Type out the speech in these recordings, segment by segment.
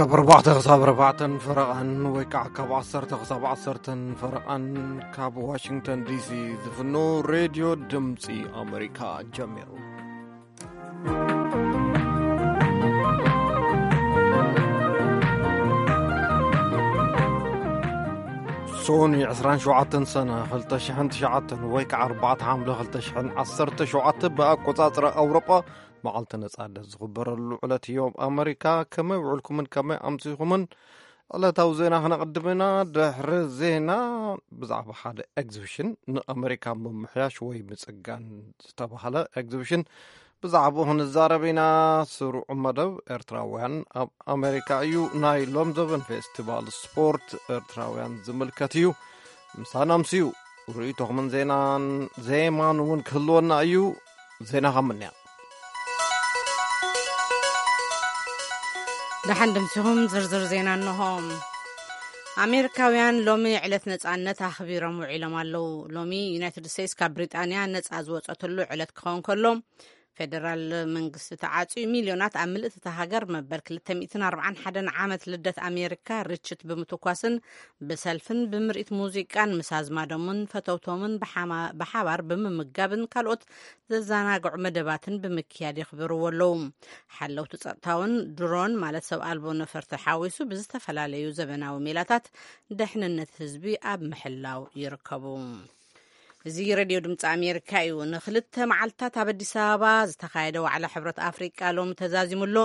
ካብ ኣርባዕተ ክሳብ ኣርባዕተን ፈረቓን ወይ ከዓ ካብ ዓሰርተ ክሳብ ዓሰርተን ፈረቓን ካብ ዋሽንግተን ዲሲ ዝፍኖ ሬድዮ ድምፂ ኣሜሪካ ጀሚሩ። ሶኒ ዕስራን ሸውዓተን ሰነ ክልተ ሽሕን ትሽዓተን ወይ ከዓ ኣርባዕተ ሓምለ ክልተ ሽሕን ዓሰርተ ሸውዓተ ብኣቆፃፅራ ኣውሮጳ መዓልቲ ነጻነት ዝኽበረሉ ዕለት እዮም። ኣመሪካ ከመይ ውዕልኩምን ከመይ ኣምሲኹምን? ዕለታዊ ዜና ክነቕድም ኢና። ድሕሪ ዜና ብዛዕባ ሓደ ኤግዚቢሽን ንኣመሪካ ምምሕያሽ ወይ ምጽጋን ዝተባህለ ኤግዚቢሽን ብዛዕባኡ ክንዛረብ ኢና። ስሩዕ መደብ ኤርትራውያን ኣብ ኣመሪካ እዩ። ናይ ሎም ዘበን ፌስቲቫል ስፖርት ኤርትራውያን ዝምልከት እዩ። ምሳና ኣምስዩ ርእይቶኹምን ዜናን ዜማን እውን ክህልወና እዩ። ዜና ካብ ምንያ። ደሓን ድምሲኹም ዝርዝር ዜና እንሆ። ኣሜሪካውያን ሎሚ ዕለት ነጻነት ኣኽቢሮም ውዒሎም ኣለዉ። ሎሚ ዩናይትድ ስቴትስ ካብ ብሪጣንያ ነጻ ዝወጸትሉ ዕለት ክኸውን ከሎ፣ ፌደራል መንግስቲ ተዓጽዩ ሚልዮናት ኣብ ምልእቲ እታ ሃገር መበል ክልተ ሚእትን ኣርባዓን ሓደን ዓመት ልደት ኣሜሪካ ርችት ብምትኳስን ብሰልፍን ብምርኢት ሙዚቃን ምስ ኣዝማዶምን ፈተውቶምን ብሓማ-፣ ብሓባር ብምምጋብን ካልኦት ዘዘናግዑ መደባትን ብምክያድ የኽብርዎ ኣለዉ። ሓለውቲ ጸጥታውን ድሮን ማለት ሰብ ኣልቦ ነፈርቲ ሓዊሱ ብዝተፈላለዩ ዘበናዊ ሜላታት ደሕንነት ህዝቢ ኣብ ምሕላው ይርከቡ። እዚ ሬድዮ ድምፂ ኣሜሪካ እዩ። ንክልተ መዓልትታት ኣብ ኣዲስ ኣበባ ዝተኻየደ ዋዕላ ሕብረት ኣፍሪቃ ሎሚ ተዛዚሙ ኣሎ።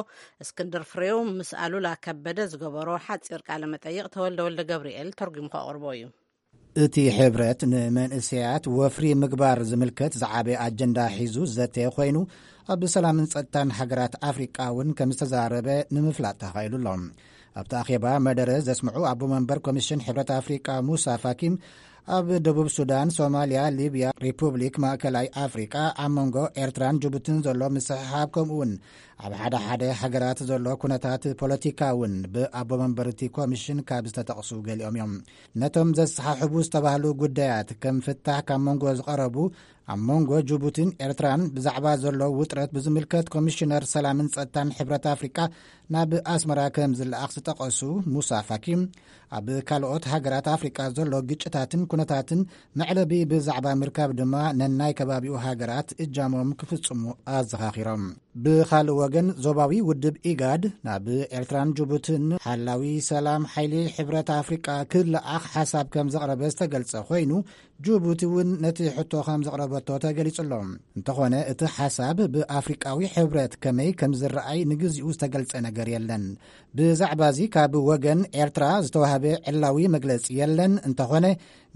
እስክንድር ፍሬው ምስ ኣሉላ ከበደ ዝገበሮ ሓፂር ቃለ መጠይቕ ተወልደ ወልደ ገብርኤል ተርጉሙ ከቕርቦ እዩ። እቲ ሕብረት ንመንእሰያት ወፍሪ ምግባር ዝምልከት ዝዓበየ ኣጀንዳ ሒዙ ዘተ ኮይኑ፣ ኣብ ሰላምን ጸጥታን ሃገራት ኣፍሪቃ እውን ከም ዝተዛረበ ንምፍላጥ ተኻኢሉ ኣሎ። ኣብቲ ኣኼባ መደረ ዘስምዑ ኣቦ መንበር ኮሚሽን ሕብረት ኣፍሪቃ ሙሳ ፋኪም፣ ኣብ ደቡብ ሱዳን፣ ሶማልያ፣ ሊብያ፣ ሪፑብሊክ ማእከላይ ኣፍሪቃ፣ ኣብ መንጎ ኤርትራን ጅቡትን ዘሎ ምስሕሓብ፣ ከምኡ እውን ኣብ ሓደ ሓደ ሃገራት ዘሎ ኩነታት ፖለቲካ እውን ብኣቦ መንበር እቲ ኮሚሽን ካብ ዝተጠቕሱ ገሊኦም እዮም። ነቶም ዘሰሓሕቡ ዝተባህሉ ጉዳያት ከም ፍታሕ ካብ መንጎ ዝቐረቡ፣ ኣብ መንጎ ጅቡትን ኤርትራን ብዛዕባ ዘሎ ውጥረት ብዝምልከት ኮሚሽነር ሰላምን ጸጥታን ሕብረት ኣፍሪቃ ናብ ኣስመራ ከም ዝለኣኽ ዝጠቐሱ ሙሳ ፋኪ፣ ኣብ ካልኦት ሃገራት ኣፍሪቃ ዘሎ ግጭታትን ኩነታትን መዕለቢ ብዛዕባ ምርካብ ድማ ነናይ ከባቢኡ ሃገራት እጃሞም ክፍጽሙ ኣዘኻኺሮም። ብኻልእ ወገን፣ ዞባዊ ውድብ ኢጋድ ናብ ኤርትራን ጅቡትን ሓላዊ ሰላም ሓይሊ ሕብረት ኣፍሪቃ ክለኣኽ ሓሳብ ከም ዘቕረበ ዝተገልጸ ኮይኑ፣ ጅቡቲ እውን ነቲ ሕቶ ከም ዘቕረበቶ ተገሊጹ ኣሎ። እንተኾነ፣ እቲ ሓሳብ ብኣፍሪቃዊ ሕብረት ከመይ ከም ዝረኣይ ንግዚኡ ዝተገልጸ ነገር የለን። ብዛዕባ እዚ ካብ ወገን ኤርትራ ዝተዋህበ ዕላዊ መግለጺ የለን። እንተኾነ፣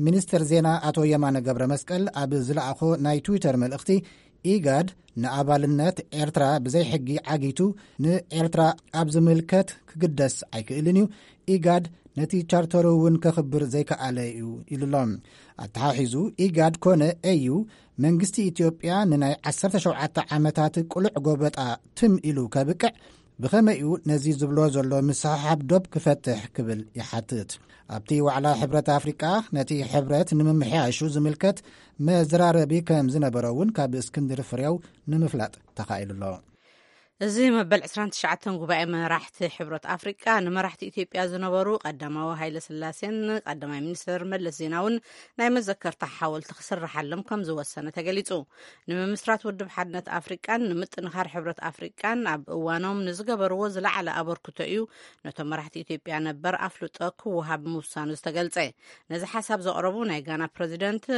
ሚኒስትር ዜና ኣቶ የማነ ገብረ መስቀል ኣብ ዝለኣኾ ናይ ትዊተር መልእኽቲ፣ ኢጋድ ንኣባልነት ኤርትራ ብዘይ ሕጊ ዓጊቱ ንኤርትራ ኣብ ዝምልከት ክግደስ ኣይክእልን እዩ። ኢጋድ ነቲ ቻርተር እውን ከኽብር ዘይከኣለ እዩ ኢሉ ኣሎ። ኣተሓሒዙ፣ ኢጋድ ኮነ ኤዩ መንግስቲ ኢትዮጵያ ንናይ ዓሰርተ ሸውዓተ ዓመታት ቅሉዕ ጎበጣ ትም ኢሉ ከብቅዕ ብኸመይ እዩ ነዚ ዝብሎ ዘሎ ምስሕሓብ ዶብ ክፈትሕ ክብል ይሓትት። ኣብቲ ዋዕላ ሕብረት ኣፍሪቃ ነቲ ሕብረት ንምምሕያሹ ዝምልከት መዘራረቢ ከም ዝነበረ እውን ካብ እስክንድር ፍሬው ንምፍላጥ ተኻኢሉ ኣሎ። እዚ መበል ዕስራን ትሽዓተን ጉባኤ መራሕቲ ሕብረት ኣፍሪቃ ንመራሕቲ ኢትዮጵያ ዝነበሩ ቀዳማዊ ሃይለ ስላሴን ቀዳማይ ሚኒስትር መለስ ዜናውን ናይ መዘከርታ ሓወልቲ ክስርሓሎም ከም ዝወሰነ ተገሊጹ። ንምምስራት ውድብ ሓድነት ኣፍሪቃን ንምጥንኻር ሕብረት ኣፍሪቃን ኣብ እዋኖም ንዝገበርዎ ዝለዓለ ኣበርክቶ እዩ ነቶም መራሕቲ ኢትዮጵያ ነበር ኣፍልጦ ክወሃብ ምውሳኑ ዝተገልጸ። ነዚ ሓሳብ ዘቕረቡ ናይ ጋና ፕረዚደንት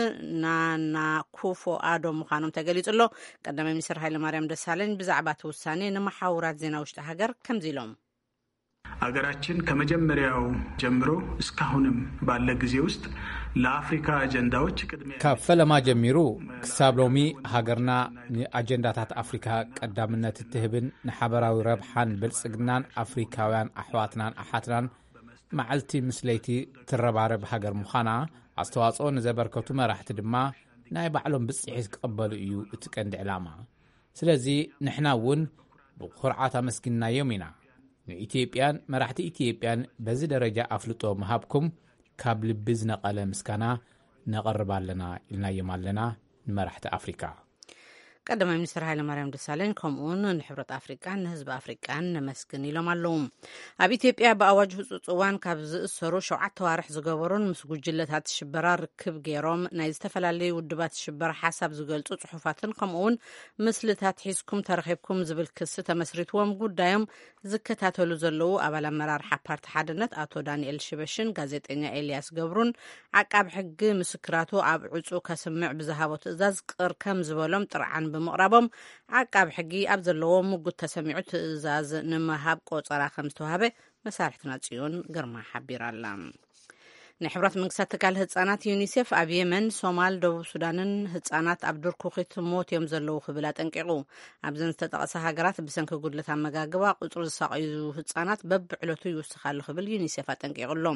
ናና ኩፎ ኣዶ ምዃኖም ተገሊጹ ኣሎ። ቀዳማይ ሚኒስትር ሃይለማርያም ደሳለኝ ብዛዕባ እቲ ውሳኔ ንመሓውራት ዜና ውሽጢ ሃገር ከምዚ ኢሎም። አገራችን ከመጀመሪያው ጀምሮ እስካሁንም ባለ ጊዜ ውስጥ ለአፍሪካ አጀንዳዎች ቅድሚያ ካብ ፈለማ ጀሚሩ ክሳብ ሎሚ ሃገርና ንኣጀንዳታት ኣፍሪካ ቀዳምነት እትህብን ንሓበራዊ ረብሓን ብልጽግናን ኣፍሪካውያን ኣሕዋትናን ኣሓትናን መዓልቲ ምስ ለይቲ ትረባረብ ሃገር ምዃና ኣስተዋጽኦ ንዘበርከቱ መራሕቲ ድማ ናይ ባዕሎም ብጽሒት ክቕበሉ እዩ እቲ ቀንዲ ዕላማ። ስለዚ ንሕና እውን ብኹርዓት ኣመስጊንናዮም ኢና። ንኢትዮጵያን መራሕቲ ኢትዮጵያን በዚ ደረጃ ኣፍልጦ ምሃብኩም ካብ ልቢ ዝነቐለ ምስጋና ነቐርብ ኣለና ኢልናዮም ኣለና ንመራሕቲ ኣፍሪካ። ቀዳማይ ሚኒስትር ሃይለማርያም ደሳለኝ ከምኡውን ንሕብረት ኣፍሪቃን ንህዝቢ ኣፍሪቃን ነመስግን ኢሎም ኣለዉ። ኣብ ኢትዮጵያ ብኣዋጅ ህጹጽ እዋን ካብ ዝእሰሩ ሸውዓተ ዋርሕ ዝገበሩን ምስ ጉጅለታት ሽበራ ርክብ ገይሮም ናይ ዝተፈላለዩ ውድባት ሽበራ ሓሳብ ዝገልጹ ጽሑፋትን ከምኡውን ምስልታት ሒዝኩም ተረኺብኩም ዝብል ክሲ ተመስሪትዎም ጉዳዮም ዝከታተሉ ዘለዉ ኣባል ኣመራርሓ ፓርቲ ሓድነት ኣቶ ዳንኤል ሽበሽን ጋዜጠኛ ኤልያስ ገብሩን ዓቃብ ሕጊ ምስክራቱ ኣብ ዕጹ ከስምዕ ብዝሃቦ ትእዛዝ ቅር ከም ዝበሎም ጥርዓን ብምቕራቦም ዓቃብ ሕጊ ኣብ ዘለዎ ምጉት ተሰሚዑ ትእዛዝ ንምሃብ ቆጸራ ከም ዝተዋህበ መሳርሕትና ጽዮን ግርማ ሓቢራ ኣላ። ናይ ሕብራት መንግስታት ትካል ህጻናት ዩኒሴፍ ኣብ የመን፣ ሶማል፣ ደቡብ ሱዳንን ህጻናት ኣብ ድርኩኺት ሞት እዮም ዘለዉ ክብል ኣጠንቂቑ። ኣብዘን ዝተጠቐሰ ሃገራት ብሰንኪ ጉድለት ኣመጋግባ ቁጽሪ ዝሳቐዩ ህጻናት በብዕለቱ ይውስኽ ኣሎ ክብል ዩኒሴፍ ኣጠንቂቑ ኣሎ።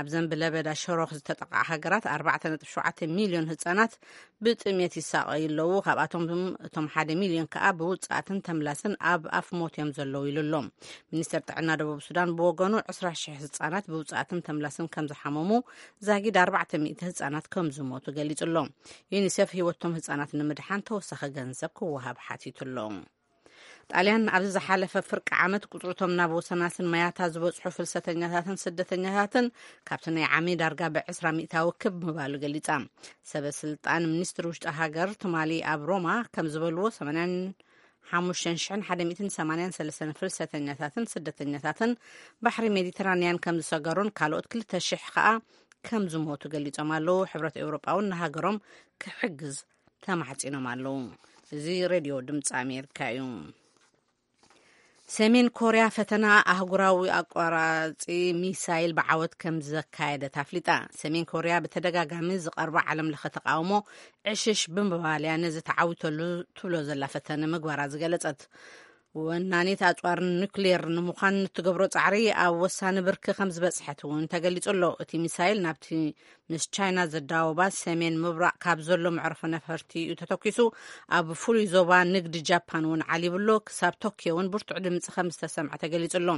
ኣብዘን ብለበዳ ሸሮኽ ዝተጠቕዓ ሃገራት ኣርባዕተ ነጥቢ ሸውዓተ ሚልዮን ህጻናት ብጥሜት ይሳቐዩ ኣለዉ። ካብኣቶም እቶም ሓደ ሚልዮን ከኣ ብውጽኣትን ተምላስን ኣብ ኣፍ ሞት እዮም ዘለዉ ኢሉ ኣሎ። ሚኒስተር ጥዕና ደቡብ ሱዳን ብወገኑ ዕስራ ሽሕ ህጻናት ብውጽኣትን ተምላስን ከም ዝሓመሙ ዛጊድ ኣርባዕተ ሚእቲ ህጻናት ከም ዝሞቱ ገሊጹ ኣሎ። ዩኒሴፍ ህይወቶም ህጻናት ንምድሓን ተወሳኺ ገንዘብ ክወሃብ ሓቲቱ ኣሎ። ጣልያን ኣብዚ ዝሓለፈ ፍርቂ ዓመት ቁጽርቶም ናብ ወሰናስን ማያታ ዝበጽሑ ፍልሰተኛታትን ስደተኛታትን ካብቲ ናይ ዓሚ ዳርጋ ብዕስራ ሚእታዊ ክብ ምባሉ ገሊጻ። ሰበ ስልጣን ሚኒስትሪ ውሽጢ ሃገር ትማሊ ኣብ ሮማ ከም ዝበልዎ ሰማንያን ሓሙሽተን ሽሕን ሓደ ሚእትን ሰማንያን ሰለስተን ፍልሰተኛታትን ስደተኛታትን ባሕሪ ሜዲተራንያን ከም ዝሰገሩን ካልኦት ክልተ ሽሕ ከኣ ከም ዝሞቱ ገሊጾም ኣለዉ። ሕብረት ኤውሮጳ እውን ንሃገሮም ክሕግዝ ተማሕጺኖም ኣለዉ። እዚ ሬድዮ ድምፂ ኣሜሪካ እዩ። ሰሜን ኮርያ ፈተና ኣህጉራዊ ኣቋራፂ ሚሳይል ብዓወት ከም ዘካየደት ኣፍሊጣ። ሰሜን ኮርያ ብተደጋጋሚ ዝቐርባ ዓለም ለኸ ተቃውሞ ዕሽሽ ብምባል እያ ነዚ ተዓዊተሉ ትብሎ ዘላ ፈተነ ምግባራ ዝገለጸት ወናኒት ኣጽዋር ኑክሌር ንምዃን እትገብሮ ጻዕሪ ኣብ ወሳኒ ብርኪ ከም ዝበጽሐት እውን ተገሊጹ ኣሎ። እቲ ሚሳይል ናብቲ ምስ ቻይና ዘዳወባ ሰሜን ምብራቕ ካብ ዘሎ መዕርፎ ነፈርቲ እዩ ተተኪሱ። ኣብ ፍሉይ ዞባ ንግዲ ጃፓን እውን ዓሊቡ ኣሎ። ክሳብ ቶኪዮ እውን ብርቱዕ ድምጺ ከም ዝተሰምዐ ተገሊጹ ኣሎ።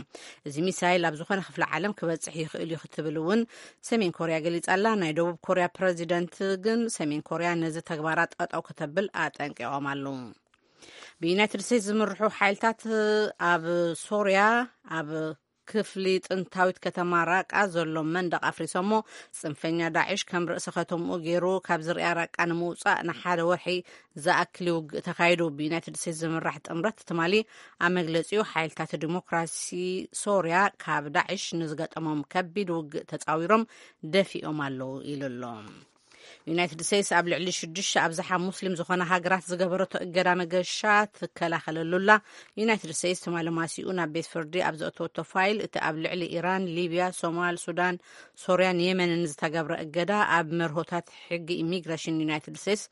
እዚ ሚሳይል ኣብ ዝኾነ ክፍለ ዓለም ክበጽሕ ይኽእል እዩ ክትብል እውን ሰሜን ኮርያ ገሊጻ ኣላ። ናይ ደቡብ ኮርያ ፕረዚደንት ግን ሰሜን ኮርያ ነዚ ተግባራ ጠጠው ከተብል ኣጠንቂቖም ኣለዉ። ብዩናይትድ ስቴትስ ዝምርሑ ሓይልታት ኣብ ሶርያ ኣብ ክፍሊ ጥንታዊት ከተማ ራቃ ዘሎ መንደቕ ኣፍሪሶሞ ጽንፈኛ ዳዕሽ ከም ርእሲ ከተምኡ ገይሩ ካብ ዝርያ ራቃ ንምውጻእ ንሓደ ወርሒ ዝኣክል ውግእ ተኻይዱ። ብዩናይትድ ስቴትስ ዝምራሕ ጥምረት ትማሊ ኣብ መግለጺኡ ሓይልታት ዲሞክራሲ ሶርያ ካብ ዳዕሽ ንዝገጠሞም ከቢድ ውግእ ተጻዊሮም ደፊኦም ኣለዉ ኢሉ ኣሎ። ዩናይትድ ስቴትስ ኣብ ልዕሊ ሽዱሽተ ኣብዝሓ ሙስሊም ዝኾነ ሃገራት ዝገበረቶ እገዳ መገሻ ትከላኸለሉላ። ዩናይትድ ስቴትስ ትማሊ ማሲኡ ናብ ቤት ፍርዲ ኣብ ዘእተወቶ ፋይል እቲ ኣብ ልዕሊ ኢራን፣ ሊብያ፣ ሶማል፣ ሱዳን፣ ሶርያን የመንን ዝተገብረ እገዳ ኣብ መርሆታት ሕጊ ኢሚግሬሽን ዩናይትድ ስቴትስ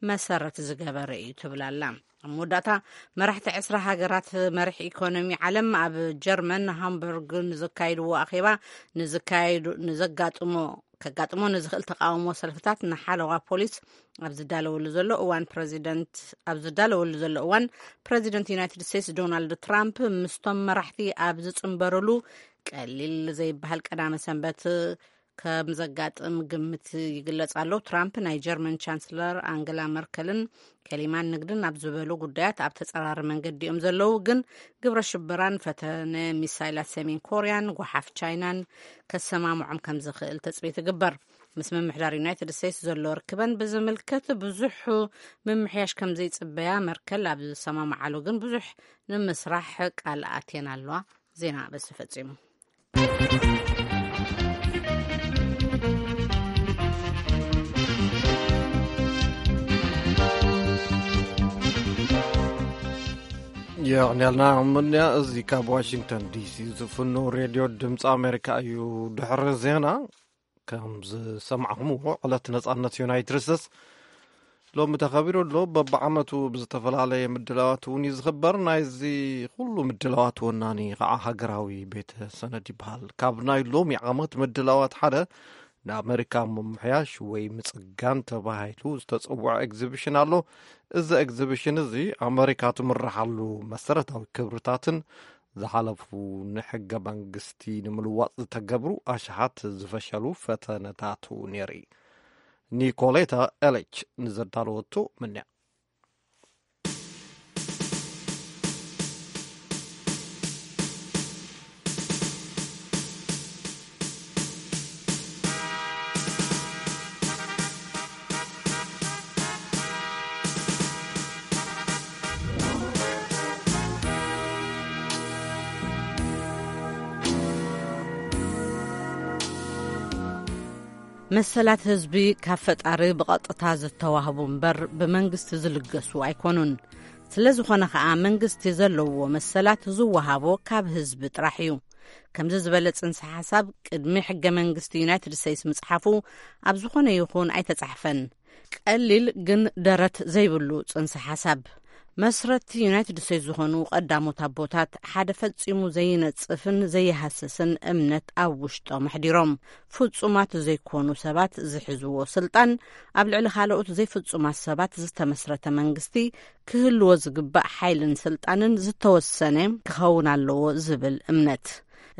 መሰረት ዝገበረ እዩ ትብል ኣላ። ኣብ መወዳእታ መራሕቲ ዕስራ ሃገራት መሪሕ ኢኮኖሚ ዓለም ኣብ ጀርመን ሃምበርግ ንዘካይድዎ ኣኼባ ንዝካየዱ ንዘጋጥሞ ከጋጥሞ ንዝኽእል ተቃውሞ ሰልፍታት ንሓለዋ ፖሊስ ኣብ ዝዳለወሉ ዘሎ እዋን ፕረዚደንት ኣብ ዝዳለወሉ ዘሎ እዋን ፕረዚደንት ዩናይትድ ስቴትስ ዶናልድ ትራምፕ ምስቶም መራሕቲ ኣብ ዝጽንበርሉ ቀሊል ዘይበሃል ቀዳመ ሰንበት ከም ዘጋጥም ግምት ይግለጽ ኣሎ። ትራምፕ ናይ ጀርመን ቻንስለር ኣንገላ መርከልን ከሊማን ንግድን ኣብ ዝበሉ ጉዳያት ኣብ ተጸራሪ መንገዲ እዮም ዘለዉ፣ ግን ግብረ ሽበራን ፈተነ ሚሳይላት ሰሜን ኮርያን ጓሓፍ ቻይናን ከሰማምዖም ከም ዝኽእል ተጽቢት ይግበር። ምስ ምምሕዳር ዩናይትድ ስቴትስ ዘሎ ርክበን ብዝምልከት ብዙሕ ምምሕያሽ ከም ዘይጽበያ መርከል ኣብ ዝሰማምዓሉ ግን ብዙሕ ንምስራሕ ቃል ኣትየን ኣለዋ። ዜና በዚ ፈጺሙ። የቕንያልና ምንያ። እዚ ካብ ዋሽንግተን ዲሲ ዝፍኖ ሬድዮ ድምፂ ኣሜሪካ እዩ። ድሕሪ ዜና ከም ዝሰማዕኹምዎ ዕለት ነፃነት ዩናይትድ ስቴትስ ሎሚ ተኸቢሩ ኣሎ። በብዓመቱ ብዝተፈላለየ ምድላዋት እውን እዩ ዝኽበር። ናይዚ ኩሉ ምድላዋት ወናኒ ከዓ ሃገራዊ ቤተ ሰነድ ይበሃል። ካብ ናይ ሎሚ ዓመት ምድላዋት ሓደ ንኣመሪካ ምምሕያሽ ወይ ምጽጋን ተባሂሉ ዝተጸውዐ ኤግዚቢሽን ኣሎ። እዚ ኤግዚቢሽን እዚ ኣመሪካ ትምርሓሉ መሰረታዊ ክብርታትን ዝሓለፉ ንሕገ መንግስቲ ንምልዋጥ ዝተገብሩ ኣሽሓት ዝፈሸሉ ፈተነታቱ ነይሩ። ኒኮሌታ ኤሊች ንዘዳለወቶ ምንያ። መሰላት ህዝቢ ካብ ፈጣሪ ብቐጥታ ዝተዋህቡ እምበር ብመንግስቲ ዝልገሱ ኣይኮኑን። ስለ ዝኾነ ኸኣ መንግስቲ ዘለዎ መሰላት ዝወሃቦ ካብ ህዝቢ ጥራሕ እዩ። ከምዚ ዝበለ ጽንሰ ሓሳብ ቅድሚ ሕገ መንግስቲ ዩናይትድ ስቴትስ ምጽሓፉ ኣብ ዝኾነ ይኹን ኣይተጻሕፈን። ቀሊል ግን ደረት ዘይብሉ ጽንሰ ሓሳብ። መስረቲ ዩናይትድ ስቴትስ ዝኾኑ ቀዳሞት ኣቦታት ሓደ ፈጺሙ ዘይነጽፍን ዘይሃስስን እምነት ኣብ ውሽጦም ኣሕዲሮም። ፍጹማት ዘይኮኑ ሰባት ዝሕዝዎ ስልጣን ኣብ ልዕሊ ካልኦት ዘይፍጹማት ሰባት ዝተመስረተ መንግስቲ ክህልዎ ዝግባእ ሓይልን ስልጣንን ዝተወሰነ ክኸውን ኣለዎ ዝብል እምነት።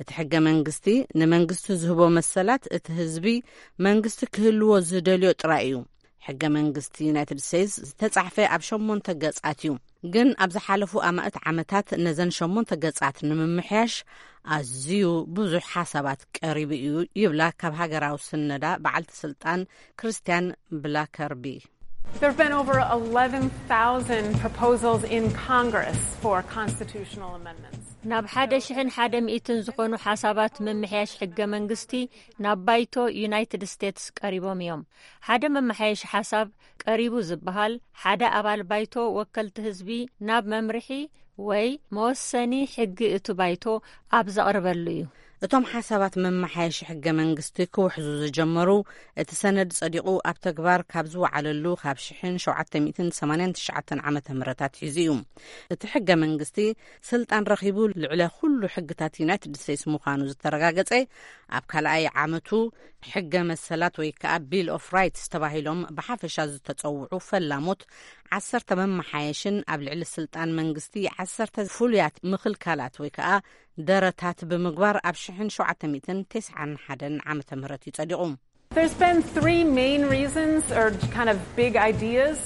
እቲ ሕገ መንግስቲ ንመንግስቲ ዝህቦ መሰላት እቲ ህዝቢ መንግስቲ ክህልዎ ዝደልዮ ጥራይ እዩ። ሕገ መንግስቲ ዩናይትድ ስቴትስ ዝተጻሕፈ ኣብ ሸሞንተ ገጻት እዩ። ግን ኣብ ዝሓለፉ ኣማእት ዓመታት ነዘን ሸሞንተ ገጻት ንምምሕያሽ ኣዝዩ ብዙሕ ሓሳባት ቀሪቡ እዩ ይብላ ካብ ሃገራዊ ስነዳ በዓልቲ ስልጣን ክርስቲያን ብላከርቢ። There have been over eleven thousand proposals in Congress for constitutional amendments. ናብ ሓደ ሽሕን ሓደ ሚእትን ዝኾኑ ሓሳባት ምምሕያሽ ሕገ መንግስቲ ናብ ባይቶ ዩናይትድ ስቴትስ ቀሪቦም እዮም። ሓደ መመሓየሺ ሓሳብ ቀሪቡ ዝበሃል ሓደ ኣባል ባይቶ ወከልቲ ህዝቢ ናብ መምርሒ ወይ መወሰኒ ሕጊ እቲ ባይቶ ኣብ ዘቕርበሉ እዩ። እቶም ሓሳባት መመሓየሺ ሕገ መንግስቲ ክውሕዙ ዝጀመሩ እቲ ሰነድ ጸዲቑ ኣብ ተግባር ካብ ዝወዓለሉ ካብ ሽሕን ሸውዓተ ሚእትን ሰማንያን ትሽዓተን ዓመተ ምህረት ኣትሒዙ እዩ። እቲ ሕገ መንግስቲ ስልጣን ረኺቡ ልዕለ ኩሉ ሕግታት ዩናይትድ ስቴትስ ምዃኑ ዝተረጋገጸ ኣብ ካልኣይ ዓመቱ ሕገ መሰላት ወይ ከዓ ቢል ኦፍ ራይትስ ተባሂሎም ብሓፈሻ ዝተጸውዑ ፈላሞት ዓሰርተ መመሓየሽን ኣብ ልዕሊ ስልጣን መንግስቲ ዓሰርተ ፍሉያት ምኽልካላት ወይ ከዓ ደረታት ብምግባር ኣብ ሽሕን ሸውዓተ ሚእትን ተስዓን ሓደን ዓመተ ምህረት እዩ ጸዲቑ። There's been three main reasons, or kind of big ideas,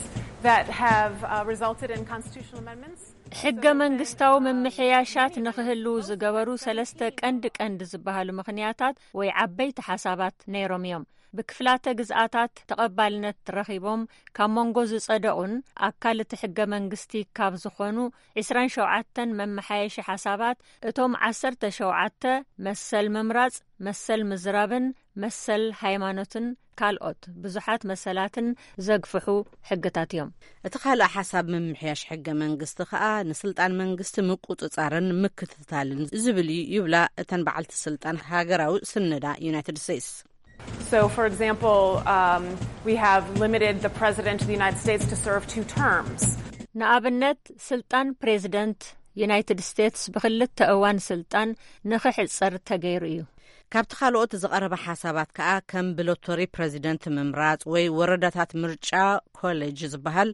that have uh, resulted in constitutional amendments. ሕገ መንግስታዊ ምምሕያሻት ንኽህልዉ ዝገበሩ ሰለስተ ቀንዲ ቀንዲ ዝበሃሉ ምኽንያታት ወይ ዓበይቲ ሓሳባት ነይሮም እዮም። ብክፍላተ ግዝኣታት ተቐባልነት ረኺቦም ካብ መንጎ ዝጸደቑን ኣካል እቲ ሕገ መንግስቲ ካብ ዝኾኑ ዕስራን ሸውዓተን መመሓየሺ ሓሳባት እቶም ዓሰርተ ሸውዓተ መሰል ምምራጽ፣ መሰል ምዝራብን መሰል ሃይማኖትን ካልኦት ብዙሓት መሰላትን ዘግፍሑ ሕግታት እዮም። እቲ ካልእ ሓሳብ ምምሕያሽ ሕገ መንግስቲ ከኣ ንስልጣን መንግስቲ ምቁጽጻርን ምክትታልን ዝብል እዩ ይብላ እተን በዓልቲ ስልጣን ሃገራዊ ስነዳ ዩናይትድ ስቴትስ። So, for example, um, we have limited the president of the United States to serve two terms. ንኣብነት ስልጣን ፕሬዚደንት ዩናይትድ ስቴትስ ብክልተ እዋን ስልጣን ንኽሕጸር ተገይሩ እዩ። ካብቲ ካልኦት ዝቐረበ ሓሳባት ከኣ ከም ብሎቶሪ ፕሬዚደንት ምምራጽ ወይ ወረዳታት ምርጫ ኮሌጅ ዝበሃል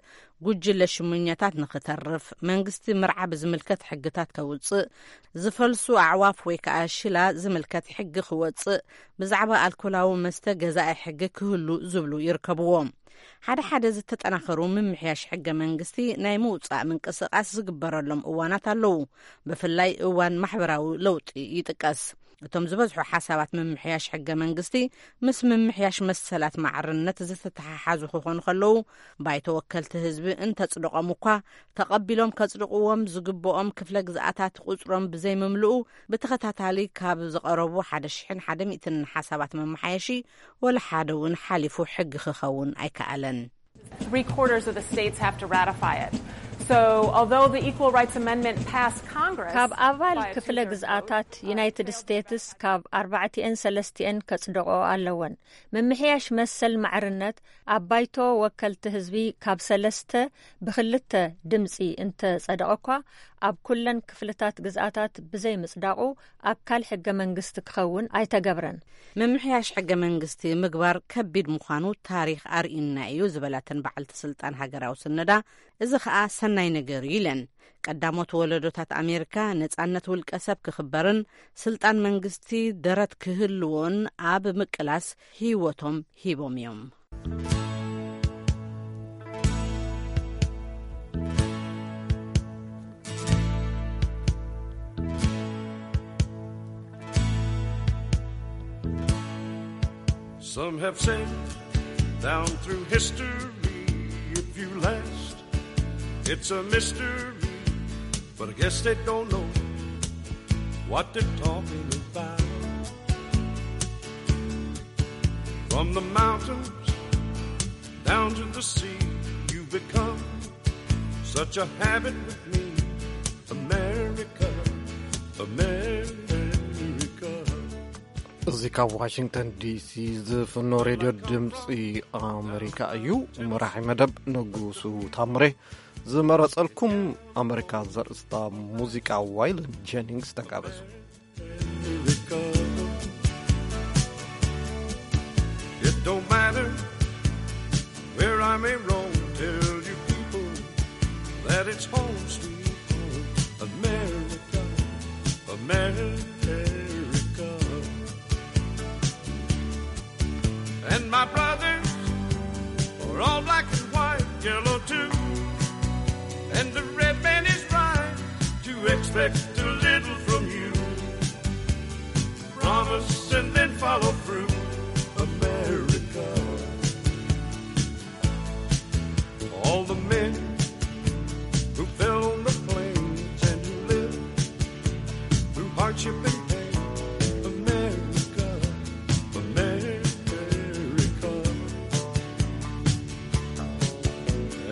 ጉጅለ ሽሙኛታት ንኽተርፍ፣ መንግስቲ ምርዓ ብዝምልከት ሕግታት ከውጽእ፣ ዝፈልሱ ኣዕዋፍ ወይ ከኣ ሽላ ዝምልከት ሕጊ ክወጽእ፣ ብዛዕባ ኣልኮላዊ መስተ ገዛኢ ሕጊ ክህሉ ዝብሉ ይርከብዎም። ሓደ ሓደ ዝተጠናኸሩ ምምሕያሽ ሕገ መንግስቲ ናይ ምውጻእ ምንቅስቓስ ዝግበረሎም እዋናት ኣለዉ። ብፍላይ እዋን ማሕበራዊ ለውጢ ይጥቀስ። እቶም ዝበዝሑ ሓሳባት ምምሕያሽ ሕገ መንግስቲ ምስ ምምሕያሽ መሰላት ማዕርነት ዝተተሓሓዙ ክኾኑ ከለዉ፣ ባይቶ ወከልቲ ህዝቢ እንተጽድቖም እኳ ተቐቢሎም ከጽድቕዎም ዝግብኦም ክፍለ ግዝኣታት ቁጽሮም ብዘይምምልኡ ብተኸታታሊ ካብ ዝቐረቡ ሓደ ሽሕን ሓደ ሚእትን ሓሳባት መመሓየሺ ወላ ሓደ እውን ሓሊፉ ሕጊ ክኸውን ኣይከኣለን። Three quarters of the states have to ratify it. So, although the Equal Rights Amendment passed Congress, ካብ ኣባል ክፍለ ግዝኣታት ዩናይትድ ስቴትስ ካብ ኣርባዕቲኤን ሰለስቲኤን ከጽድቆ ኣለወን። ምምሕያሽ መሰል ማዕርነት ኣብ ባይቶ ወከልቲ ህዝቢ ካብ ሰለስተ ብክልተ ድምፂ እንተጸደቐ እኳ ኣብ ኩለን ክፍልታት ግዝኣታት ብዘይ ምጽዳቑ ኣካል ሕገ መንግስቲ ክኸውን ኣይተገብረን። ምምሕያሽ ሕገ መንግስቲ ምግባር ከቢድ ምዃኑ ታሪኽ ኣርእዩና እዩ ዝበላተን በዓልቲ ስልጣን ሃገራዊ ስነዳ፣ እዚ ኸኣ ሰናይ ነገር እዩ ኢለን። ቀዳሞት ወለዶታት ኣሜሪካ ነጻነት ውልቀ ሰብ ክኽበርን ስልጣን መንግስቲ ደረት ክህልዎን ኣብ ምቅላስ ህይወቶም ሂቦም እዮም። Some have said down through history, if you last, it's a mystery. But I guess they don't know what they're talking about. From the mountains down to the sea, you've become such a habit with me. America, America. እዚ ካብ ዋሽንግተን ዲሲ ዝፍኖ ሬድዮ ድምፂ ኣሜሪካ እዩ። መራሒ መደብ ንጉሱ ታምሬ ዝመረፀልኩም ኣሜሪካ ዘርእስታ ሙዚቃ ዋይልድ ጀኒንግስ ተጋበዙ። It don't matter where I may roam, tell you people that it's home sweet home, America, America. And my brothers are all black and white, yellow too. And the red man is right to expect a little from you. Promise and then follow through, America. All the men who fell on the plains and who lived through hardship and pain, America, America.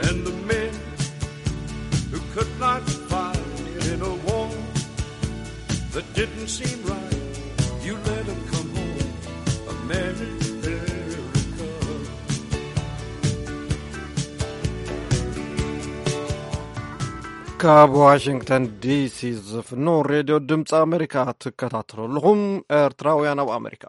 And the men who could not fight in a war that didn't seem right, you let 'em come home, America. ካብ ዋሽንግተን ዲሲ ዝፍኖ ሬድዮ ድምፂ ኣሜሪካ ትከታተሉ ኣለኹም። ኤርትራውያን ኣብ ኣሜሪካ።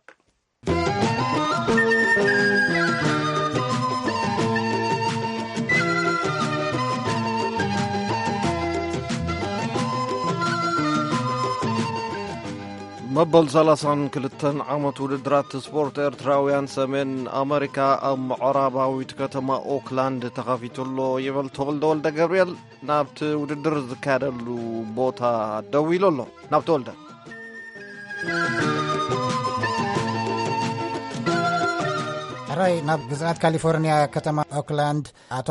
መበል ሰላሳን ክልተን ዓመት ውድድራት ስፖርት ኤርትራውያን ሰሜን ኣመሪካ ኣብ ምዕራባዊት ከተማ ኦክላንድ ተኸፊቱ ኣሎ ይበል ተወልደ ወልደ ገብርኤል። ናብቲ ውድድር ዝካየደሉ ቦታ ደው ኢሉ ኣሎ። ናብ ተወልደ። ሕራይ ናብ ግዝኣት ካሊፎርኒያ ከተማ ኦክላንድ ኣቶ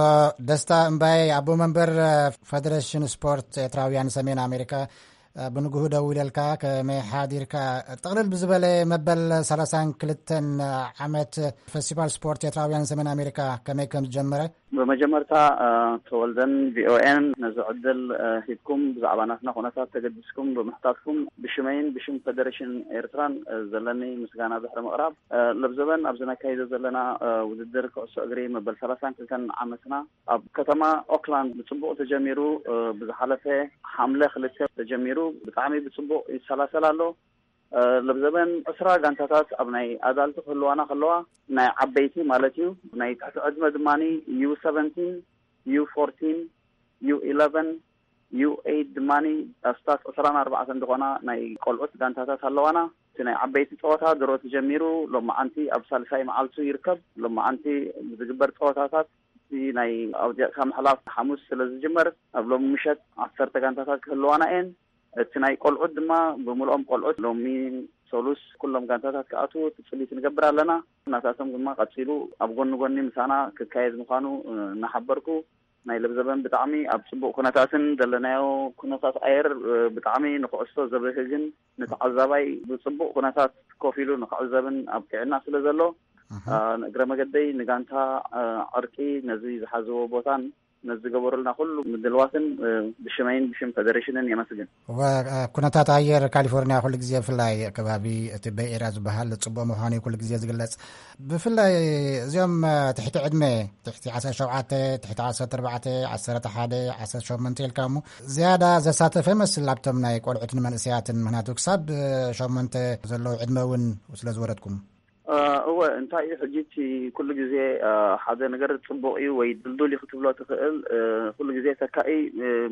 ደስታ እምባየ ኣቦ መንበር ፈደሬሽን ስፖርት ኤርትራውያን ሰሜን ኣሜሪካ ብንግሁ ደው ኢለልካ ከመይ ሓዲርካ? ጥቕልል ብዝበለ መበል ሰላሳን ክልተን ዓመት ፈስቲቫል ስፖርት ኤርትራውያን ሰሜን ኣሜሪካ ከመይ ከም ዝጀመረ? ብመጀመርታ ተወልደን ቪኦኤን ነዚ ዕድል ሂብኩም ብዛዕባ ናትና ኩነታት ተገዲስኩም ብምሕታትኩም ብሽመይን ብሽም ፈደሬሽን ኤርትራን ዘለኒ ምስጋና ድሕሪ ምቕራብ፣ ለብዘበን ኣብዚ ነካይዶ ዘለና ውድድር ኩዕሶ እግሪ መበል ሰላሳን ክልተን ዓመትና ኣብ ከተማ ኦክላንድ ብጽቡቕ ተጀሚሩ፣ ብዝሓለፈ ሓምለ ክልተ ተጀሚሩ ብጣዕሚ ብጽቡቕ ይሰላሰል ኣሎ። ለብዘበን ዕስራ ጋንታታት ኣብ ናይ ኣዳልቲ ክህልዋና ከለዋ፣ ናይ ዓበይቲ ማለት እዩ። ናይ ትሕቲ ዕድመ ድማ ዩ ሰቨንቲን፣ ዩ ፎርቲን፣ ዩ ኢለቨን፣ ዩ ኤይት ድማ ኣስታት ዕስራን ኣርባዕተን ዝኾና ናይ ቆልዑት ጋንታታት ኣለዋና። እቲ ናይ ዓበይቲ ጸወታ ድሮ ተጀሚሩ ሎማዓንቲ ኣብ ሳልሳይ መዓልቱ ይርከብ። ሎማዓንቲ ዝግበር ጸወታታት እቲ ናይ ኣውዲቕካ ምሕላፍ ሓሙስ ስለ ዝጅመር ኣብ ሎሚ ምሸት ዓሰርተ ጋንታታት ክህልዋና እየን። እቲ ናይ ቆልዑት ድማ ብምልኦም ቆልዑት ሎሚ ሰሉስ ኩሎም ጋንታታት ክኣትዉ ትጽቢት ንገብር ኣለና። ናታቶም ድማ ቀጺሉ ኣብ ጎኒ ጎኒ ምሳና ክካየድ ምዃኑ እናሓበርኩ፣ ናይ ለብዘበን ብጣዕሚ ኣብ ጽቡቕ ኩነታትን ዘለናዮ ኩነታት ኣየር ብጣዕሚ ንኩዕሶ ዘብህግን ንተዓዛባይ ብጽቡቕ ኩነታት ኮፍ ኢሉ ንክዕዘብን ኣብቂዕና ስለ ዘሎ፣ እግረ መገደይ ንጋንታ ዕርቂ ነዚ ዝሓዝዎ ቦታን ነዚ ዝገበሩልና ኩሉ ምድልዋትን ብሽመይን ብሽም ፈደሬሽንን የመስግን። እወ፣ ኩነታት ኣየር ካሊፎርኒያ ኩሉ ግዜ ብፍላይ ከባቢ እቲ በይ ኤርያ ዝበሃል ጽቡቕ ምዃኑ እዩ ኩሉ ግዜ ዝግለጽ። ብፍላይ እዚኦም ትሕቲ ዕድመ፣ ትሕቲ ዓሰርተ ሸውዓተ፣ ትሕቲ ዓሰርተ ኣርባዕተ፣ ዓሰርተ ሓደ፣ ዓሰርተ ሸሞንተ ኢልካ እሞ ዝያዳ ዘሳተፈ ይመስል ኣብቶም ናይ ቆልዑትን መንእሰያትን፣ ምኽንያቱ ክሳብ ሸሞንተ ዘለዉ ዕድመ እውን ስለ ዝወረድኩም። እወ፣ እንታይ እዩ ሕጂ እቲ ኩሉ ግዜ ሓደ ነገር ጽቡቕ እዩ ወይ ድልዱል እዩ ክትብሎ ትኽእል። ኩሉ ግዜ ተካኢ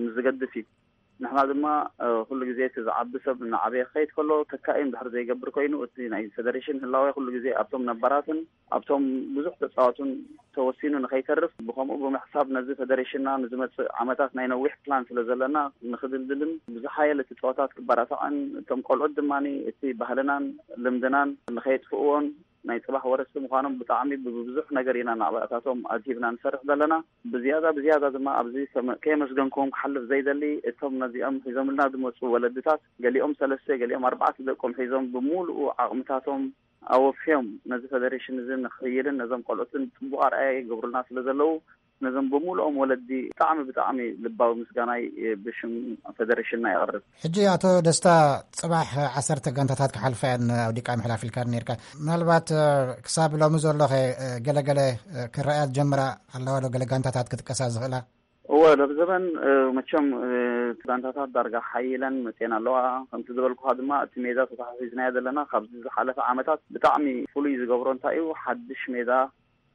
ምስ ዝገድፍ እዩ። ንሕና ድማ ኩሉ ግዜ እቲ ዝዓቢ ሰብ እናዓበየ ክኸይድ ከሎ ተካኢ እንድሕር ዘይገብር ኮይኑ፣ እቲ ናይ ፈደሬሽን ህላዌ ኩሉ ግዜ ኣብቶም ነባራትን ኣብቶም ብዙሕ ተጻዋቱን ተወሲኑ ንኸይተርፍ፣ ብኸምኡ ብምሕሳብ ነዚ ፈደሬሽንና ንዝመጽእ ዓመታት ናይ ነዊሕ ፕላን ስለ ዘለና ንኽድልድልን ብዝሓየለ እቲ ጸወታት ክበራታዕን እቶም ቆልዑት ድማ እቲ ባህልናን ልምድናን ንኸየጥፍእዎን ናይ ጽባሕ ወረስቲ ምዃኖም ብጣዕሚ ብብዙሕ ነገር ኢና ናብኣታቶም ኣድሂብና ንሰርሕ ዘለና። ብዝያዳ ብዝያዳ ድማ ኣብዚ ከመ-፣ ከየመስገንክዎም ክሓልፍ ዘይደሊ፣ እቶም ነዚኦም ሒዞምልና ዝመጹ ወለድታት፣ ገሊኦም ሰለስተ ገሊኦም ኣርባዕተ ደቆም ሒዞም ብምሉኡ ዓቕምታቶም ኣወፍዮም ነዚ ፈደሬሽን እዚ ንኽህይልን ነዞም ቆልዑትን ጽቡቕ ኣርኣያ ይገብሩልና ስለ ዘለዉ፣ ነዞም ብምሉኦም ወለዲ ብጣዕሚ፣ ብጣዕሚ ልባዊ ምስጋናይ ብሽም ፈደሬሽንና የቕርብ። ሕጂ ኣቶ ደስታ፣ ጽባሕ ዓሰርተ ጋንታታት ክሓልፋ እየን ኣውዲቃ ምሕላፍ ኢልካ ነርካ። ምናልባት፣ እ፣ ክሳብ ሎሚ ዘሎ ኸ፣ እ፣ ገለገለ፣ እ፣ ክረኣያ ዝጀምራ ኣለዋ ዶ? ገለ ጋንታታት ክጥቀሳ ዝኽእላ? እወ፣ ሎሚ ዘበን፣ እ፣ መቸም፣ እ፣ ጋንታታት ዳርጋ ሓይለን መጽየን ኣለዋ። ከምቲ ዝበልኩኻ ድማ፣ እቲ ሜዳ ተታሒዝናዮ ዘለና ካብዚ ዝሓለፈ ዓመታት ብጣዕሚ ፍሉይ ዝገብሮ እንታይ እዩ፣ ሓድሽ ሜዳ፣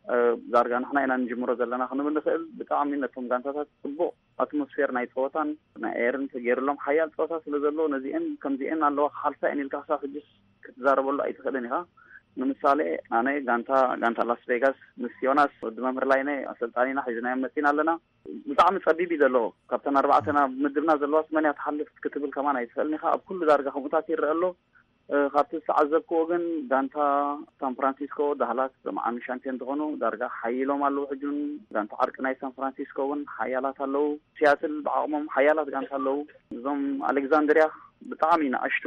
እ፣ ዳርጋ ንሕና ኢና ንጅምሮ ዘለና ክንብል ንኽእል። ብጣዕሚ ነቶም ጋንታታት ጽቡቕ ኣትሞስፌር ናይ ጸወታን ናይ ኤርን ተገይሩሎም ሓያል ጸወታ ስለ ዘሎ፣ ነዚአን ከምዚአን ኣለዋ ክሓልፋ እየን ኢልካ ክሳብ ሕጅስ ክትዛረበሉ ኣይትኽእልን ኢኻ። ንምሳሌ፣ ኣነ ጋንታ፣ ጋንታ ላስ ቬጋስ ምስ ዮናስ ወዲ መምህር ላይነ ኣሰልጣኒና ሒዝናዮም መጺና ኣለና። ብጣዕሚ ጸቢብ እዩ ዘሎ። ካብተን ኣርባዕተና ብምድብና ዘለዋ ስመንያ ትሓልፍ ክትብል ከማን ኣይትኽእልን ኢኻ። ኣብ ኩሉ ዳርጋ ከምኡታት ይረአ ኣሎ። እ፣ ካብቲ ዝተዓዘብክዎ ግን ጋንታ ሳን ፍራንሲስኮ ዳህላክ ሎሚ ዓሚ ሻምፒዮን ዝኾኑ ዳርጋ ሓይሎም ኣለዉ። ሕጂ እውን ጋንታ ዓርቂ ናይ ሳን ፍራንሲስኮ እውን ሓያላት ኣለዉ። ሲያትል ብዓቕሞም ሓያላት ጋንታ ኣለዉ። እዞም ኣሌክዛንድሪያ ብጣዕሚ ንኣሽቱ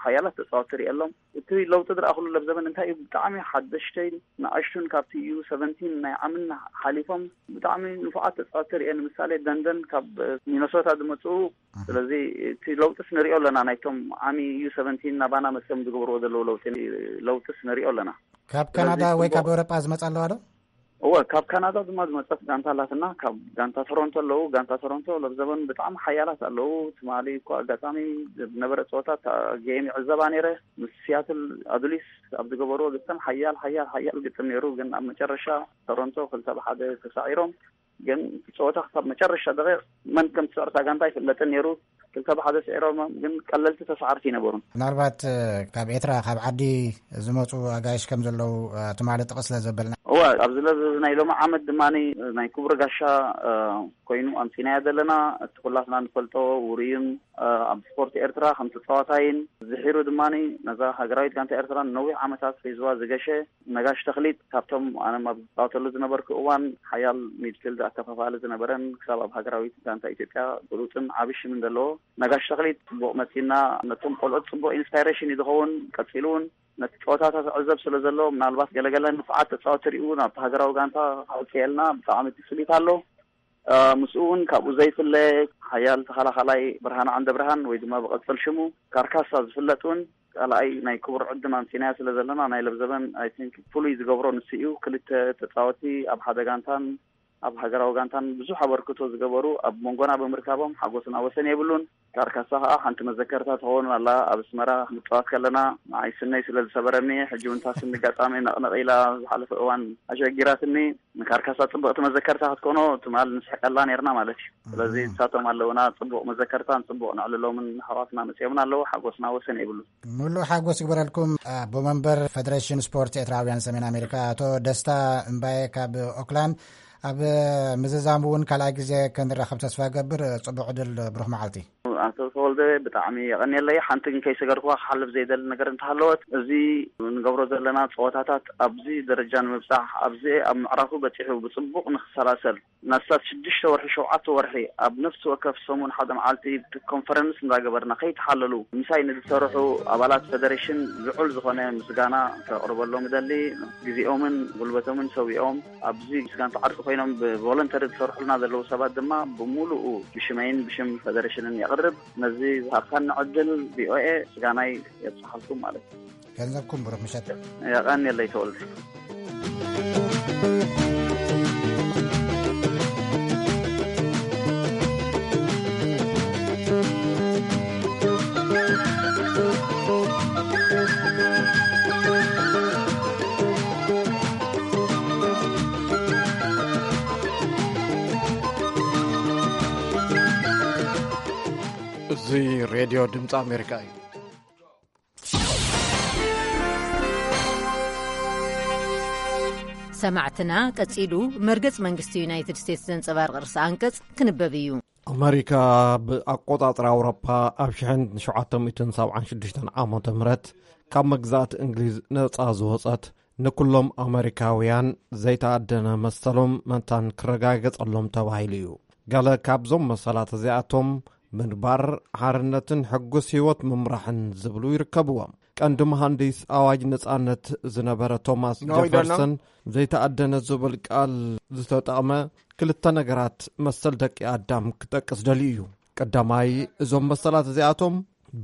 ሓያላት ተጻወትቲ ርእየሎም። እቲ ለውጢ ዝረኣኹሉ ለብ ዘበን እንታይ እዩ? ብጣዕሚ ሓደሽተይን ንኣሽቱን ካብቲ ዩ ሰቨንቲን ናይ ዓምን ሓሊፎም ብጣዕሚ ንፉዓት ተጻወትቲ ርእየ። ንምሳሌ ደንደን ካብ ሚነሶታ ዝመጽኡ። ስለዚ እቲ ለውጥስ ንሪኦ ኣለና። ናይቶም ዓሚ ዩ ሰቨንቲን ናባና መጽኦም ዝገብርዎ ዘለዉ ለውጢ፣ ለውጥስ ንሪኦ ኣለና። ካብ ስለዚ ካናዳ ወይ ጽቡቕ ካብ ኤውሮጳ ዝመጻ ኣለዋ ዶ? እወ፣ ካብ ካናዳ ድማ ዝመጸት ጋንታ ኣላትና። ካብ ጋንታ ቶሮንቶ ኣለዉ። ጋንታ ቶሮንቶ ለብ ዘበን ብጣዕሚ ሓያላት ኣለዉ። ትማሊ እኮ ኣጋጣሚ ዝነበረ ጸወታ እታ ጌም ይዕዘባ ነይረ። ምስ ሲያትል ኣዱሊስ ኣብ ዝገበርዎ ግጥም ሓያል፣ ሓያል፣ ሓያል ግጥም ነይሩ። ግን ኣብ መጨረሻ ቶሮንቶ ክልተ ብሓደ ተሳዒሮም። ግን እቲ ጸወታ ክሳብ መጨረሻ ደቂቕ መን ከም ትስዕር እታ ጋንታ ኣይፍለጥን ነይሩ። ክልተ ብሓደ ስዒሮም፣ ግን ቀለልቲ ተሳዓርቲ ኣይነበሩን። ምናልባት፣ እ፣ ካብ ኤርትራ፣ ካብ ዓዲ ዝመጹ ኣጋይሽ ከም ዘለዉ፣ እ፣ ትማሊ ጥቕስ ስለ ዘበልና። እወ፣ ኣብዚ ለብ ናይ ሎሚ ዓመት ድማ ናይ ክቡር ጋሻ፣ እ፣ ኮይኑ ኣምጺናዮ ዘለና፣ እቲ ኩላትና ንፈልጦ ውሩይን፣ እ፣ ኣብ ስፖርት ኤርትራ ከም ተጻዋታይን፣ ዝሒሩ ድማ ነዛ ሃገራዊት ጋንታ ኤርትራ ንነዊሕ ዓመታት ሒዝዋ ዝገሸ ነጋሽ ተኽሊት፣ ካብቶም ኣነ ኣብ ዝጻወተሉ ዝነበርኩ እዋን ሓያል ሚድፊልድ ኣከፋፋሊ ዝነበረን ክሳብ ኣብ ሃገራዊት ጋንታ ኢትዮጵያ ብሉጽን ዓቢ ሽምን ዘለዎ ነጋሽ ተኽሊት ጽቡቕ መጺና። ነቶም ቆልዑት ጽቡቕ ኢንስፓይሬሽን እዩ ዝኸውን። ቀጺሉ እውን ነቲ ጸወታታት ዕዘብ ስለ ዘሎ፣ ምናልባት ገለገለ ንፉዓት ተጻወቲ ሪኡ ናብቲ ሃገራዊ ጋንታ ከውጽኤልና ብጣዕሚ ትጽቢት ኣሎ። እ፣ ምስኡ እውን ካብኡ ዘይፍለ ሓያል ተኸላኻላይ ብርሃን ዓንደ ብርሃን ወይ ድማ ብቐጽል ሽሙ ካርካሳ ዝፍለጥ እውን ካልኣይ ናይ ክቡር ዕድም ኣምጺናዮ ስለ ዘለና ናይ ለብዘበን፣ ኣይ ቲንክ፣ ፍሉይ ዝገብሮ ንሱ እዩ። ክልተ ተጻወቲ ኣብ ሓደ ጋንታን ኣብ ሃገራዊ ጋንታን ብዙሕ ኣበርክቶ ዝገበሩ ኣብ መንጎና ብምርካቦም ሓጎስና ወሰን የብሉን። ካርካሳ ከዓ ሓንቲ መዘከርታ ትኸውን ኣላ። ኣብ ኣስመራ ንጻወት ከለና ንዓይ ስነይ ስለ ዝሰበረኒ፣ ሕጂ እውን እታ ስኒ ኣጋጣሚ ነቕነቕ ኢላ ዝሓለፈ እዋን ኣሸጊራትኒ። ንካርካሳ ጽብቕቲ መዘከርታ ክትኮኖ ትማል ንስሕቀላ ነርና ማለት እዩ። ስለዚ እም። ንሳቶም ኣለውና ጽቡቕ መዘከርታን ጽቡቕ ነዕልሎምን ኣሕዋትና መጺኦምና ኣለዉ። ሓጎስና ወሰን የብሉን። ሙሉእ ሓጎስ ይግበረልኩም። ኣቦ መንበር ፈደሬሽን ስፖርት ኤርትራውያን ሰሜን ኣሜሪካ ኣቶ ደስታ እምባየ ካብ ኦክላንድ፣ ኣብ ምዝዛም እውን ካልኣይ ግዜ ክንራኸብ ተስፋ ገብር። ጽቡቕ ዕድል፣ ብሩኽ መዓልቲ። ኣቶ ተወልደ፣ ብጣዕሚ የቐንየለይ። ሓንቲ ግን ከይሰገርኩዋ ክሓልፍ ዘይደሊ ነገር እንተሃለወት፣ እዚ እንገብሮ ዘለና ጸወታታት ኣብዚ ደረጃ ንምብጻሕ፣ ኣብዚ ኣብ ምዕራፉ በጺሑ ብጽቡቕ ንክሰላሰል፣ ናሳት ሽዱሽተ ወርሒ፣ ሸውዓተ ወርሒ ኣብ ነፍሲ ወከፍ ሰሙን ሓደ መዓልቲ ኮንፈረንስ እንዳገበርና ከይተሓለሉ ምሳይ ንዝሰርሑ ኣባላት ፈደሬሽን ልዑል ዝኾነ ምስጋና ከቕርበሎም እደሊ። ግዜኦምን ጉልበቶምን ሰዊኦም ኣብዚ ምስ ጋንታ ዓርቂ ኮይኖም ብቮለንተሪ ዝሰርሑልና ዘለዉ ሰባት ድማ ብምሉኡ ብሽመይን ብሽም ፈደሬሽንን የቕርብ። ነዚ ዝሃብካኒ ዕድል ቪኦኤ ምስጋናይ የብጽሓልኩም ማለት እዩ። ገንዘብኩም ብሩኽ ምሸት። የቐንየለይ ተወልደ። እዚ ሬድዮ ድምፂ ኣሜሪካ እዩ። ሰማዕትና፣ ቀጺሉ መርገጽ መንግስቲ ዩናይትድ ስቴትስ ዘንጸባርቕ ርእሰ ኣንቀጽ ክንበብ እዩ። ኣመሪካ ብኣቆጻጽራ ኣውሮፓ ኣብ ሽሕን ሸውዓተ ሚእትን ሰብዓን ሽዱሽተን ዓመተ ምህረት ካብ መግዛእቲ እንግሊዝ ነጻ ዝወጸት፣ ንኩሎም ኣመሪካውያን ዘይተኣደነ መሰሎም መታን ክረጋገጸሎም ተባሂሉ እዩ። ገለ ካብዞም መሰላት እዚኣቶም ምንባር፣ ሓርነትን ሕጉስ ህይወት ምምራሕን ዝብሉ ይርከብዎም። ቀንዲ መሃንዲስ ኣዋጅ ነጻነት ዝነበረ ቶማስ ጀፈርሰን ዘይተኣደነ ዝብል ቃል ዝተጠቕመ ክልተ ነገራት መሰል ደቂ ኣዳም ክጠቅስ ደልዩ እዩ። ቀዳማይ፣ እዞም መሰላት እዚኣቶም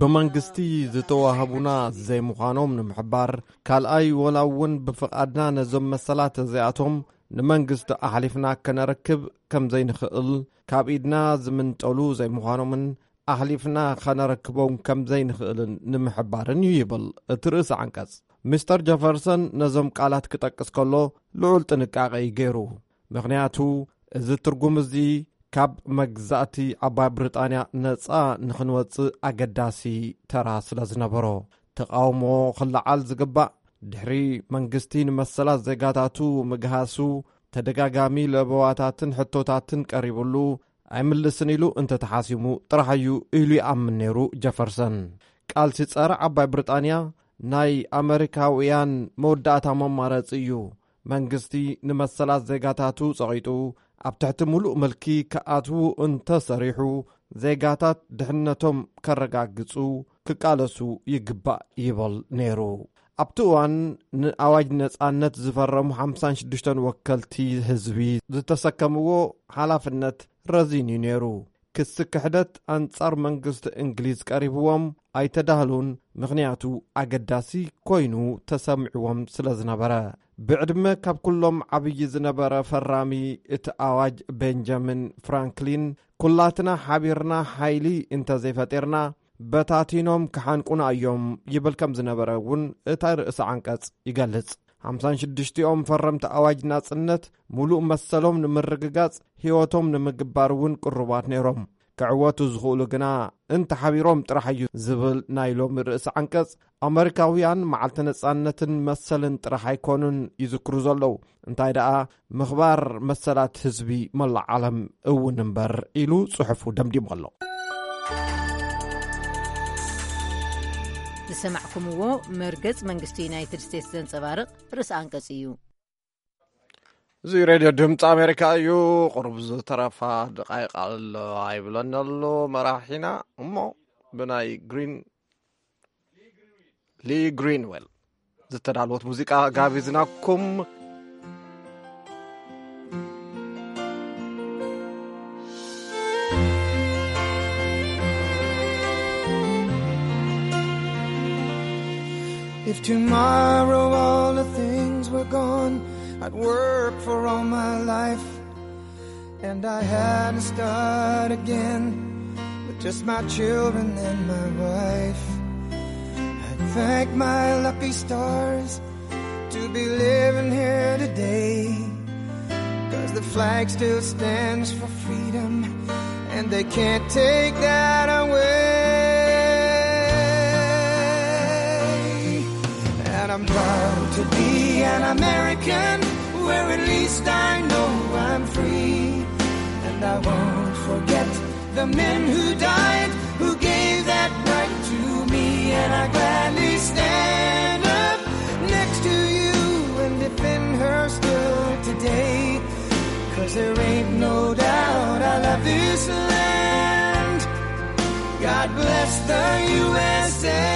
ብመንግስቲ ዝተዋህቡና ዘይምዃኖም ንምሕባር፣ ካልኣይ፣ ወላ እውን ብፍቓድና ነዞም መሰላት እዚኣቶም ንመንግስቲ ኣሕሊፍና ከነረክብ ከም ዘይንኽእል፣ ካብ ኢድና ዝምንጠሉ ዘይምዃኖምን ኣሕሊፍና ኸነረክቦም ከም ዘይንኽእልን ንምሕባርን እዩ ይብል እቲ ርእሲ ዓንቀጽ። ሚስተር ጀፈርሰን ነዞም ቃላት ክጠቅስ ከሎ ልዑል ጥንቃቄ እዩ ገይሩ። ምኽንያቱ፣ እዚ ትርጉም እዚ ካብ መግዛእቲ ዓባይ ብሪጣንያ ነጻ ንኽንወጽእ ኣገዳሲ ተራ ስለ ዝነበሮ፣ ተቓውሞ ክለዓል ዝግባእ፣ ድሕሪ መንግስቲ ንመሰላት ዜጋታቱ ምግሃሱ፣ ተደጋጋሚ ለበዋታትን ሕቶታትን ቀሪብሉ፣ ኣይምልስን ኢሉ እንተተሓሲሙ ጥራሕ እዩ ኢሉ ይኣምን ነይሩ ጀፈርሰን። ቃልሲ ጸረ ዓባይ ብሪጣንያ ናይ ኣመሪካውያን መወዳእታ መማረጺ እዩ። መንግስቲ ንመሰላት ዜጋታቱ ጸቒጡ ኣብ ትሕቲ ምሉእ ምልኪ ክኣትዉ እንተሰሪሑ፣ ዜጋታት ድሕነቶም ከረጋግጹ ክቃለሱ ይግባእ ይብል ነይሩ። ኣብቲ እዋን ንኣዋጅ ነጻነት ዝፈረሙ ሓምሳን ሽዱሽተን ወከልቲ ህዝቢ ዝተሰከምዎ ሓላፍነት ረዚን እዩ ነይሩ። ክሲ ክሕደት ኣንጻር መንግስቲ እንግሊዝ ቀሪብዎም ኣይተዳህሉን፣ ምኽንያቱ ኣገዳሲ ኮይኑ ተሰሚዕዎም ስለ ዝነበረ። ብዕድመ ካብ ኩሎም ዓብዪ ዝነበረ ፈራሚ እቲ ኣዋጅ ቤንጃሚን ፍራንክሊን፣ ኩላትና ሓቢርና ሓይሊ እንተዘይፈጢርና በታቲኖም ክሓንቁና እዮም ይብል ከም ዝነበረ እውን እታ ርእሲ ዓንቀጽ ይገልጽ። ሓምሳን ሽዱሽቲኦም ፈረምቲ ኣዋጅ ናጽነት፣ ምሉእ መሰሎም ንምርግጋጽ ህይወቶም ንምግባር እውን ቅሩባት ነይሮም። ክዕወቱ ዝኽእሉ ግና እንተሓቢሮም ጥራሕ እዩ ዝብል ናይ ሎሚ ርእሲ ዓንቀጽ፣ ኣመሪካውያን መዓልቲ ነጻነትን መሰልን ጥራሕ ኣይኮኑን ይዝክሩ ዘለዉ፣ እንታይ ደኣ ምኽባር መሰላት ህዝቢ መላእ ዓለም እውን እምበር ኢሉ ጽሑፉ ደምዲሙ ኣሎ። ዝሰማዕኩምዎ መርገጽ መንግስቲ ዩናይትድ ስቴትስ ዘንጸባርቕ ርእሲ ኣንቀጽ እዩ። እዚ ሬድዮ ድምፂ ኣሜሪካ እዩ። ቁሩብ ዝተረፋ ደቃይቕ ኣሎ ኣይብለኒ ኣሎ መራሒና። እሞ ብናይ ግሪን ሊ ግሪንዌል ዝተዳለወት ሙዚቃ ጋቢዝናኩም። If tomorrow all the things were gone, I'd work for all my life, and I had to start again with just my children and my wife. I'd thank my lucky stars to be living here today, 'cause the flag still stands for freedom, and they can't take that away. And I'm proud to be an American, where at least I know I'm free. And I won't forget the men who died, who gave that right to me. And I gladly stand up next to you and defend her still today. 'Cause there ain't no doubt I love this land. God bless the U S A.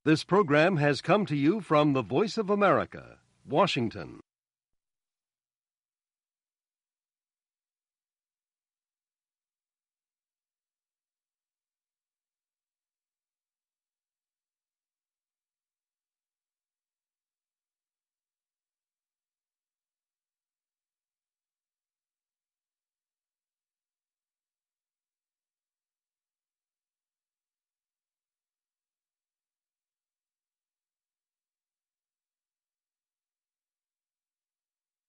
This program has come to you from the Voice of America, Washington.